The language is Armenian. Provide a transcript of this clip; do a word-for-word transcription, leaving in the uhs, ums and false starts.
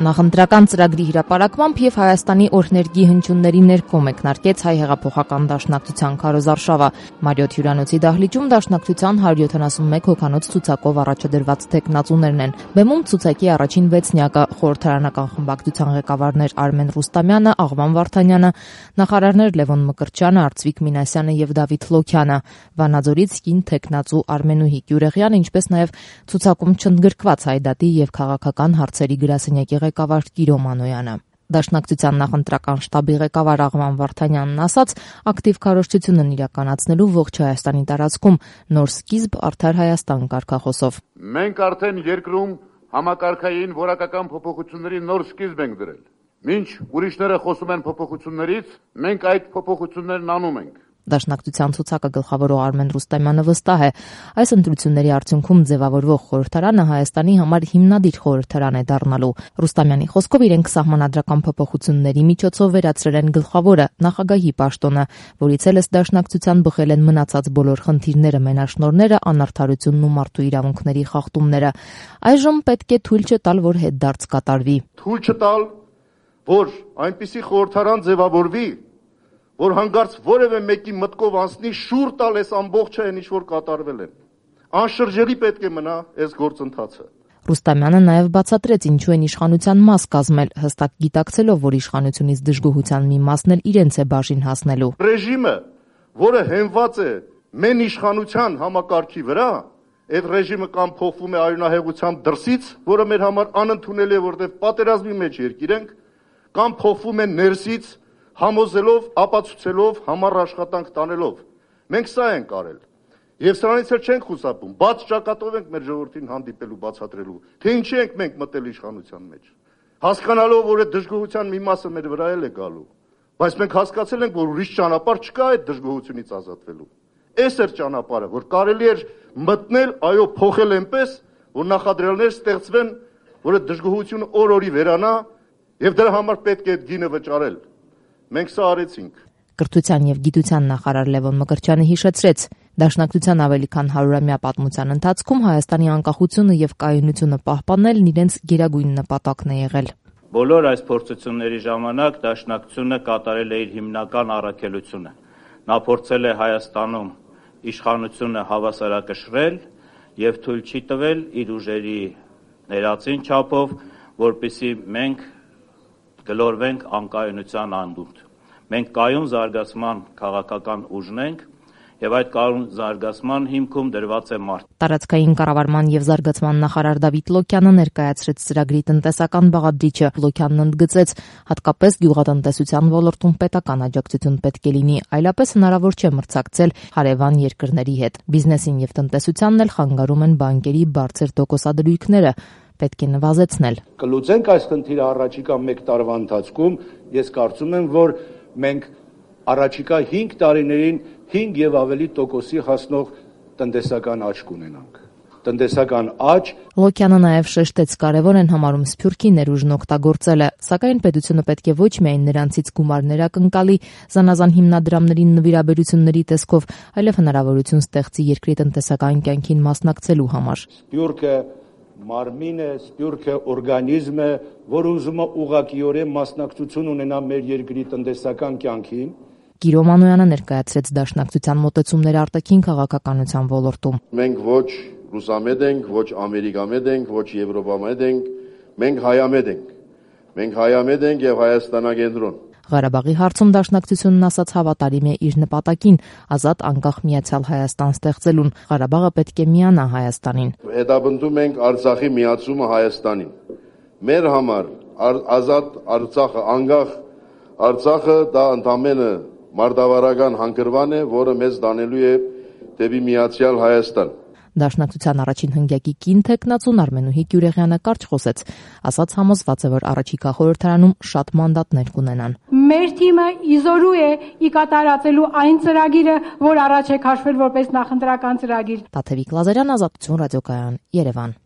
Նախընտրական ծրագրի հրապարակմամբ եւ Հայաստանի օրհներգի հնչյունների ներքո մեկնարկեց Հայ հեղափոխական դաշնակցության քարոզարշավը։ Մարիոթ հյուրանոցի դահլիճում դաշնակցության հարյուր յոթանասունմեկ հոգանոց ցուցակով առաջադրված թեկնածուներն են։ Բեմում ցուցակի առաջին վեցնյակը խորհրդարանական խմբակցության ղեկավարներ Արմեն Ռուստամյանը, Աղվան Վարդանյանը, նախարարներ Լևոն Մկրտչյանը, Արծվիկ Մինասյանը եւ Դավիթ Լոքյանը, Վանաձորից կին թեկնածու Արմենուհի Գյուրեղյանը, ինչպես նաեւ ցուցակում չընդգրկված հայդատի եւ քաղաքական հարցերի գրասենյակի ղեկավար Կիրո Մանոյանը։ Դաշնակցության նախընտրական շտաբի ղեկավար Աղվան Վարդանյանն ասաց, ակտիվ քարոզչությունն իրականացնելու ողջ Հայաստանի տարածքում նոր սկիզբ արդար Հայաստան կարգախոսով։ Մենք արդեն երկրում համակարգային որակական փոփոխությունների նոր սկիզբ ենք դրել։ Մինչ ուրիշները խոսում են փոփոխություններից, մենք այդ փոփոխություններն անում ենք։ Դաշնակցության ցուցակը գլխավորող Արմեն Ռուստամյանը վստահ է, այս ընտրությունների արդյունքում ձևավորվող խորհրդարանը Հայաստանի համար հիմնադիր խորհրդարան է դառնալու։ Ռուստամյանի խոսքով իրենք սահմանադրական փոփոխությունների միջոցով վերացրել են գլխավորը նախագահի պաշտոնը, որից էլ դաշնակցության բխել են մնացած բոլոր խնդիրները, մենաշնորհները, անարդարությունն ու մարդու իրավունքների խախտումները։ Այժմ պետք է թույլ չտալ, որ հետդարձ կատարվի։ Թույլ չտալ, որ այնպիսի խորհրդարան ձևավորվի, որ հանգարց որևէ մեկի մտքով անցնի շուռ տալ այս ամբողջը այն ինչ որ կատարվել են։ Անշրջելի պետք է մնա այս գործընթացը։ Ռուստամյանը նաև բացատրեց ինչու են իշխանության մաս կազմել, հստակ գիտակցելով, որ իշխանությունից դժգոհության մի մասն էլ իրենց է բաժին հասնելու։ Ռեժիմը, որը հենված է մեն իշխանության համակարգի վրա, այդ ռեժիմը կամ փոխվում է արյունահեղությամբ դրսից, որը մեր համար անընդունելի է, որտեղ պատերազմի մեջ երկիր ենք, կամ փոխվում է ներսից համոզելով, ապացուցելով, համառ աշխատանք տանելով։ Մենք սա ենք արել։ Եվ սրանից էլ չենք խուսափում։ Բաց ճակատով ենք մեր ժողովրդին հանդիպելու, բացատրելու, թե ինչի ենք մենք մտել իշխանության մեջ։ Հասկանալով, որ այդ դժգոհության մի մասը մեր վրա էլ է գալու, բայց մենք հասկացել ենք, որ ուրիշ ճանապարհ չկա այդ դժգոհությունից ազատվելու։ Այս էր ճանապարհը, որ կարելի էր մտնել, այո, փոխել այնպես, որ նախադրյալներ ստեղծվեն, որ այդ դժգոհությունը օր-օրի վերանա, եւ դրա համար պետք է այդ գինը վճարել։ Մենք սա արեցինք։ Կրթության եւ գիտության նախարար Լևոն Մկրտչյանը հիշեցրեց, դաշնակցության ավելի քան հարյուրամյա պատմության ընթացքում Հայաստանի անկախությունը եւ կայունությունը պահպանելն իրենց գերագույն նպատակն է եղել։ Բոլոր այս փորձությունների ժամանակ դաշնակցությունը կատարել է իր հիմնական առաքելությունը։ Նա փորձել է Հայաստանում իշխանությունը հավասարակշռել եւ թույլ չի տվել իր ուժերի ներածին չափով, որպեսզի մենք գլորվենք անկայունության անդունդ։ Մենք կայուն զարգացման քաղաքական ուժն ենք եւ այդ կայուն զարգացման հիմքում դրված է մարդ։ Տարածքային կառավարման եւ զարգացման նախարար Դավիթ Լոքյանը ներկայացրեց ծրագրի տնտեսական բաղադրիչը։ Լոքյանն ընդգծեց, հատկապես գյուղատնտեսության ոլորտում պետական աջակցություն պետք է լինի, այլապես հնարավոր չէ մրցակցել հարևան երկրների հետ։ Բիզնեսին եւ տնտեսությանն էլ խանգարում են բանկերի բարձր տոկոսադրույքները։ Պետք է նվազեցնել։ Կլուծենք այս խնդիրը առաջիկա մեկ տարվա ընթացքում, ես կարծում եմ, որ մենք առաջիկա հինգ տարիներին հինգ եւ ավելի տոկոսի հասնող տնտեսական աճ կունենանք։ Տնտեսական աճ։ Լոքյանը նաև շեշտեց, կարևոր են համարում սփյուռքի ներուժն օգտագործելը, սակայն պետությունը պետք է ոչ միայն նրանցից գումարներ ակնկալի զանազան հիմնադրամների նվիրաբերությունների տեսքով, այլև հնարավորություն ստեղծի երկրի տնտեսական կյանքին մասնակցելու համար։ Սփյուռքը մարմին է, սփյուռքը օրգանիզմ է, որ ուզում է ուղղակիորեն մասնակցություն ունենա մեր երկրի տնտեսական կյանքին։ Կիրո Մանոյանը ներկայացրեց դաշնակցության մոտեցումները արտաքին քաղաքականության ոլորտում։ Մենք ոչ ռուսամետ ենք, ոչ ամերիկամետ ենք, ոչ եվրոպամետ ենք, մենք հայամետ ենք։ Մենք հայամետ ենք եւ հայաստանագենտրոն։ Ղարաբաղի հարցում դաշնակցությունն ասաց հավատարիմ է իր նպատակին՝ ազատ անկախ միացյալ Հայաստան ստեղծելուն։ Ղարաբաղը պետք է միանա Հայաստանին։ Հետապնդում ենք Արցախի միացումը Հայաստանին։ Մեր համար ազատ Արցախը, անկախ Արցախը դա ընդամենը մարտավարական հանգրվան է, որը մեզ դանելու է դեպի միացյալ Հայաստան։ Դաշնակցության առաջին հնգյակի կին թեկնածուն Արմենուհի Գյուրեղյանը կարճ խոսեց, ասաց համոզված է, որ առաջիկա խորհրդարանում շատ մանդատներ կունենան։ Մեր թիմը իզորու է ի կատարածելու այն ծրագիրը, որ առաջ է քաշվել որպես նախընտրական ծրագիր։ Տաթևիկ Լազարյան, Ազատություն ռադիոկայան, Երևան։